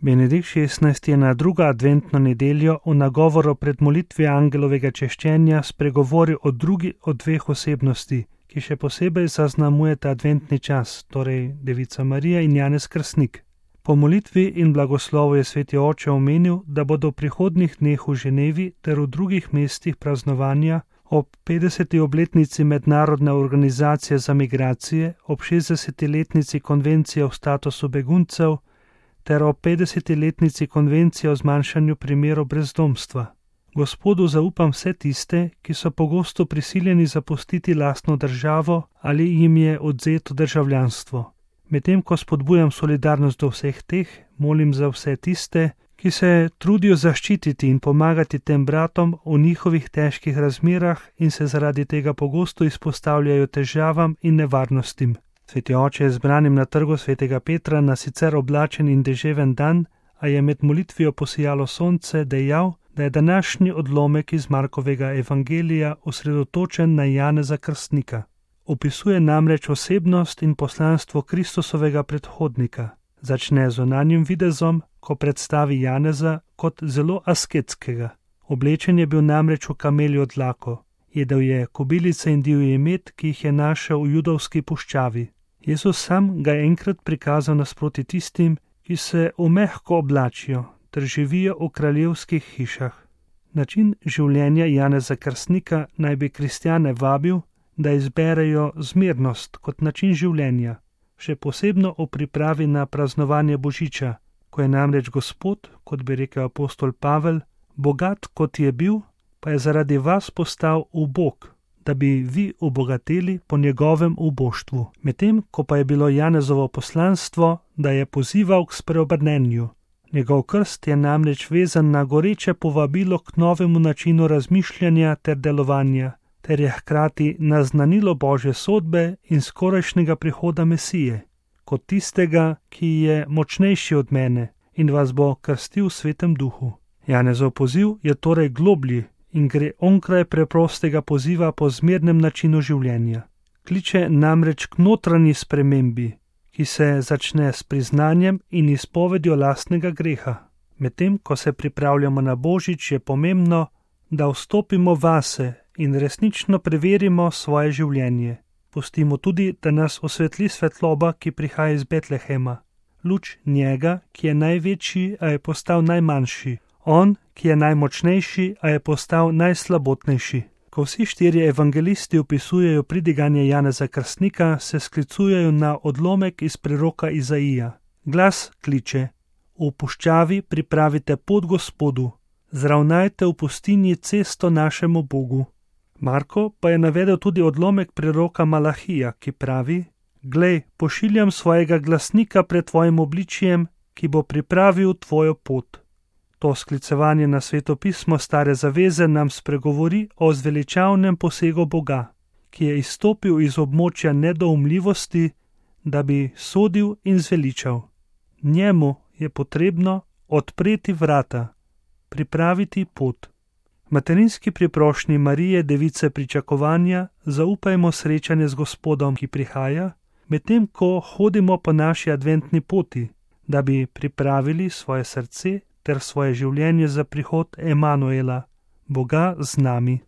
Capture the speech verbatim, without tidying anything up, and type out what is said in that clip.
Benedikt šestnajsti je na drugo adventno nedeljo v nagovoru pred molitvijo angelovega češčenja spregovoril o drugi od dveh osebnosti, ki še posebej zaznamujeta adventni čas, torej Devica Marija in Janez Krstnik. Po molitvi in blagoslovu je sveti oče omenil, da bodo v prihodnjih dneh v Ženevi ter v drugih mestih praznovanja ob petdeseti obletnici Mednarodne organizacije za migracije, ob šestdesetiletnici Konvencije o statusu beguncev ter ob petdesetiletnici Konvencije o zmanjšanju primerov brezdomstva. Gospodu zaupam vse tiste, ki so pogosto prisiljeni zapustiti lastno državo ali jim je odvzeto državljanstvo. Medtem ko spodbujam solidarnost do vseh teh, molim za vse tiste, ki se trudijo zaščititi in pomagati tem bratom v njihovih težkih razmerah in se zaradi tega pogosto izpostavljajo težavam in nevarnostim. Sveti oče je zbranim na trgu svetega Petra na sicer oblačen in deževen dan, a je med molitvijo posijalo sonce, dejal, da je današnji odlomek iz Markovega evangelija osredotočen na Janeza Krstnika. Opisuje namreč osebnost in poslanstvo Kristusovega predhodnika. Začne z zunanjim videzom, ko predstavi Janeza kot zelo asketskega. Oblečen je bil namreč v kameljo dlako. Jedel je kobilice in divji med, ki jih je našel v judovski puščavi. Jezus sam ga je enkrat prikazal nasproti tistim, ki se v mehko oblačijo ter živijo v kraljevskih hišah. Način življenja Janeza Krstnika naj bi kristjane vabil, da izberejo zmernost kot način življenja, še posebno v pripravi na praznovanje Božiča, ko je namreč Gospod, kot bi rekel apostol Pavel, bogat kot je bil, pa je zaradi vas postal ubog, da bi vi obogateli po njegovem uboštvu. Medtem, ko pa je bilo Janezovo poslanstvo, da je pozival k spreobrnenju. Njegov krst je namreč vezan na goreče povabilo k novemu načinu razmišljanja ter delovanja, ter je hkrati naznanilo Božje sodbe in skorajšnjega prihoda Mesije, kot tistega, ki je močnejši od mene in vas bo krstil v Svetem Duhu. Janezov poziv je torej globlji in gre onkraj preprostega poziva po zmernem načinu življenja. Kliče namreč k notranji spremembi, ki se začne s priznanjem in izpovedjo lastnega greha. Medtem, ko se pripravljamo na Božič, je pomembno, da vstopimo vase in resnično preverimo svoje življenje. Pustimo tudi, da nas osvetli svetloba, ki prihaja iz Betlehema. Luč njega, ki je največji, a je postal najmanjši. On, ki je najmočnejši, a je postal najslabotnejši. Ko vsi štirje evangelisti opisujejo pridiganje Janeza Krstnika, se sklicujejo na odlomek iz preroka Izaija. Glas kliče: v puščavi pripravite pot Gospodu, zravnajte v pustinji cesto našemu Bogu. Marko pa je navedel tudi odlomek preroka Malahija, ki pravi: glej, pošiljam svojega glasnika pred tvojim obličjem, ki bo pripravil tvojo pot. To sklicevanje na Sveto pismo Stare zaveze nam spregovori o zveličavnem posegu Boga, ki je izstopil iz območja nedoumljivosti, da bi sodil in zveličal. Njemu je potrebno odpreti vrata, pripraviti pot. Materinski priprošnji Marije, device pričakovanja, zaupajmo srečanje z Gospodom, ki prihaja, medtem ko hodimo po naši adventni poti, da bi pripravili svoje srce ter svoje življenje za prihod Emanuela, Boga z nami.